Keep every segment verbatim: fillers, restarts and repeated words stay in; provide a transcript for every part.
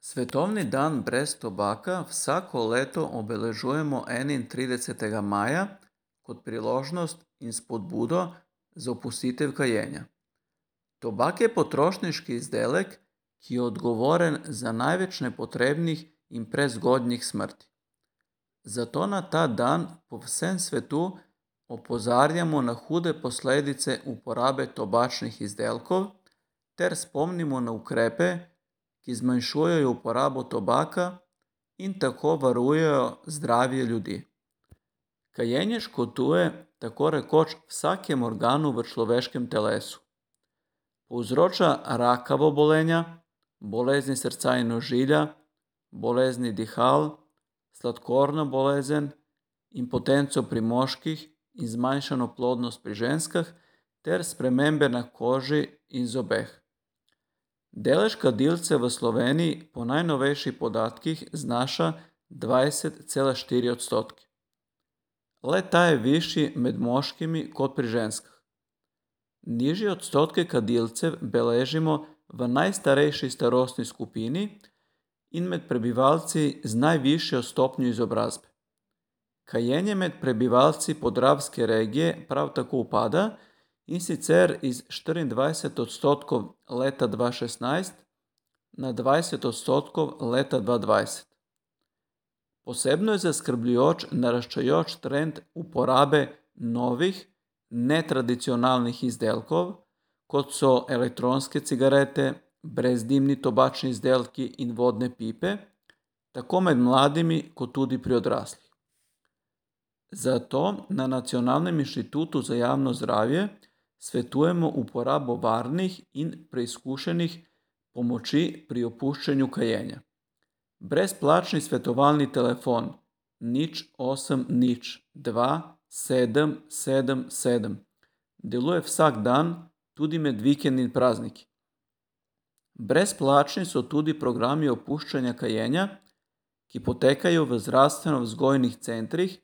Svetovni dan brez tobaka vsako leto obeležujemo enaintridesetega maja kot priložnost in spodbudo za opustitev kajenja. Tobak je potrošniški izdelek, ki je odgovoren za največ nepotrebnih in prezgodnjih smrti. Zato na ta dan po vsem svetu opozarjamo na hude posledice uporabe tobačnih izdelkov ter spomnimo na ukrepe, ki zmanjšujejo uporabo tobaka in tako varujejo zdravje ljudi. Kajenje škoduje tako rekoč vsakemu organu v človeškem telesu. Povzroča rakava obolenja, bolezni srca in ožilja, bolezni dihal, sladkorno bolezen, impotenco pri moških in zmanjšano plodnost pri ženskah ter spremembe na koži in zobeh. Delež kadilcev v Sloveniji po najnovejših podatkih znaša dvajset cela štiri odstotke. Le-ta je višji med moškimi kot pri ženskah. Nižje odstotke kadilcev beležimo v najstarejši starostni skupini in med prebivalci z najvišjo stopnjo izobrazbe. Kajenje med prebivalci podravske regije prav tako upada, in sicer iz štiriindvajset odstotkov leta dva šestnajst na dvajset odstotkov leta dva dvajset. Posebno je zaskrbljujoč naraščajoč trend uporabe novih, netradicionalnih izdelkov, kot so elektronske cigarete, brezdimni tobačni izdelki in vodne pipe, tako med mladimi kot tudi pri odraslih. Zato na Nacionalnem inštitutu za javno zdravje svetujemo uporabo varnih in preizkušenih pomoči pri opuščanju kajenja. Brezplačni svetovalni telefon nič osem nič dva sedem sedem sedem deluje vsak dan, tudi med vikendi in prazniki. Brezplačni so tudi programi opuščanja kajenja, ki potekajo v zdravstveno-vzgojnih centrih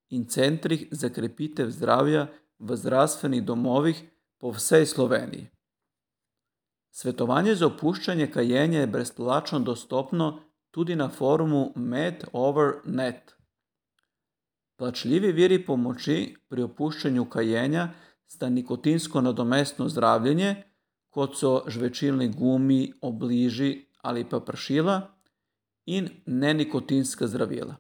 in centrih za krepitev zdravja v zdravstvenih domovih po vsej Sloveniji. Svetovanje za opuščanje kajenja je brezplačno dostopno tudi na forumu Med Over net. Plačljivi viri pomoči pri opuščanju kajenja sta nikotinsko nadomestno zdravljenje, kot so žvečilni gumi, obliži ali pa pršila, in nenikotinska zdravila.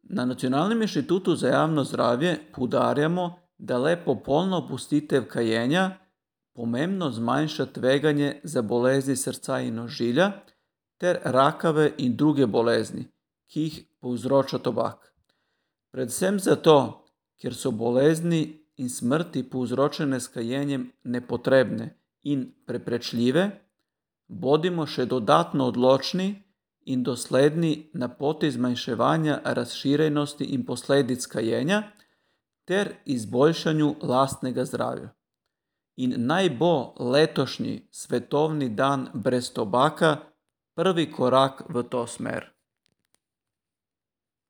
Na Nacionalnem inštitutu za javno zdravje poudarjamo, da le popolna opustitev kajenja pomembno zmanjša tveganje za bolezni srca in ožilja ter rakave in druge bolezni, ki jih povzroča tobak. Predvsem zato, ker so bolezni in smrti povzročene s kajenjem nepotrebne in preprečljive, bodimo še dodatno odločni in dosledni na poti zmanjševanja razširjenosti in posledic kajenja ter izboljšanju lastnega zdravja. In naj bo letošnji svetovni dan brez tobaka prvi korak v to smer.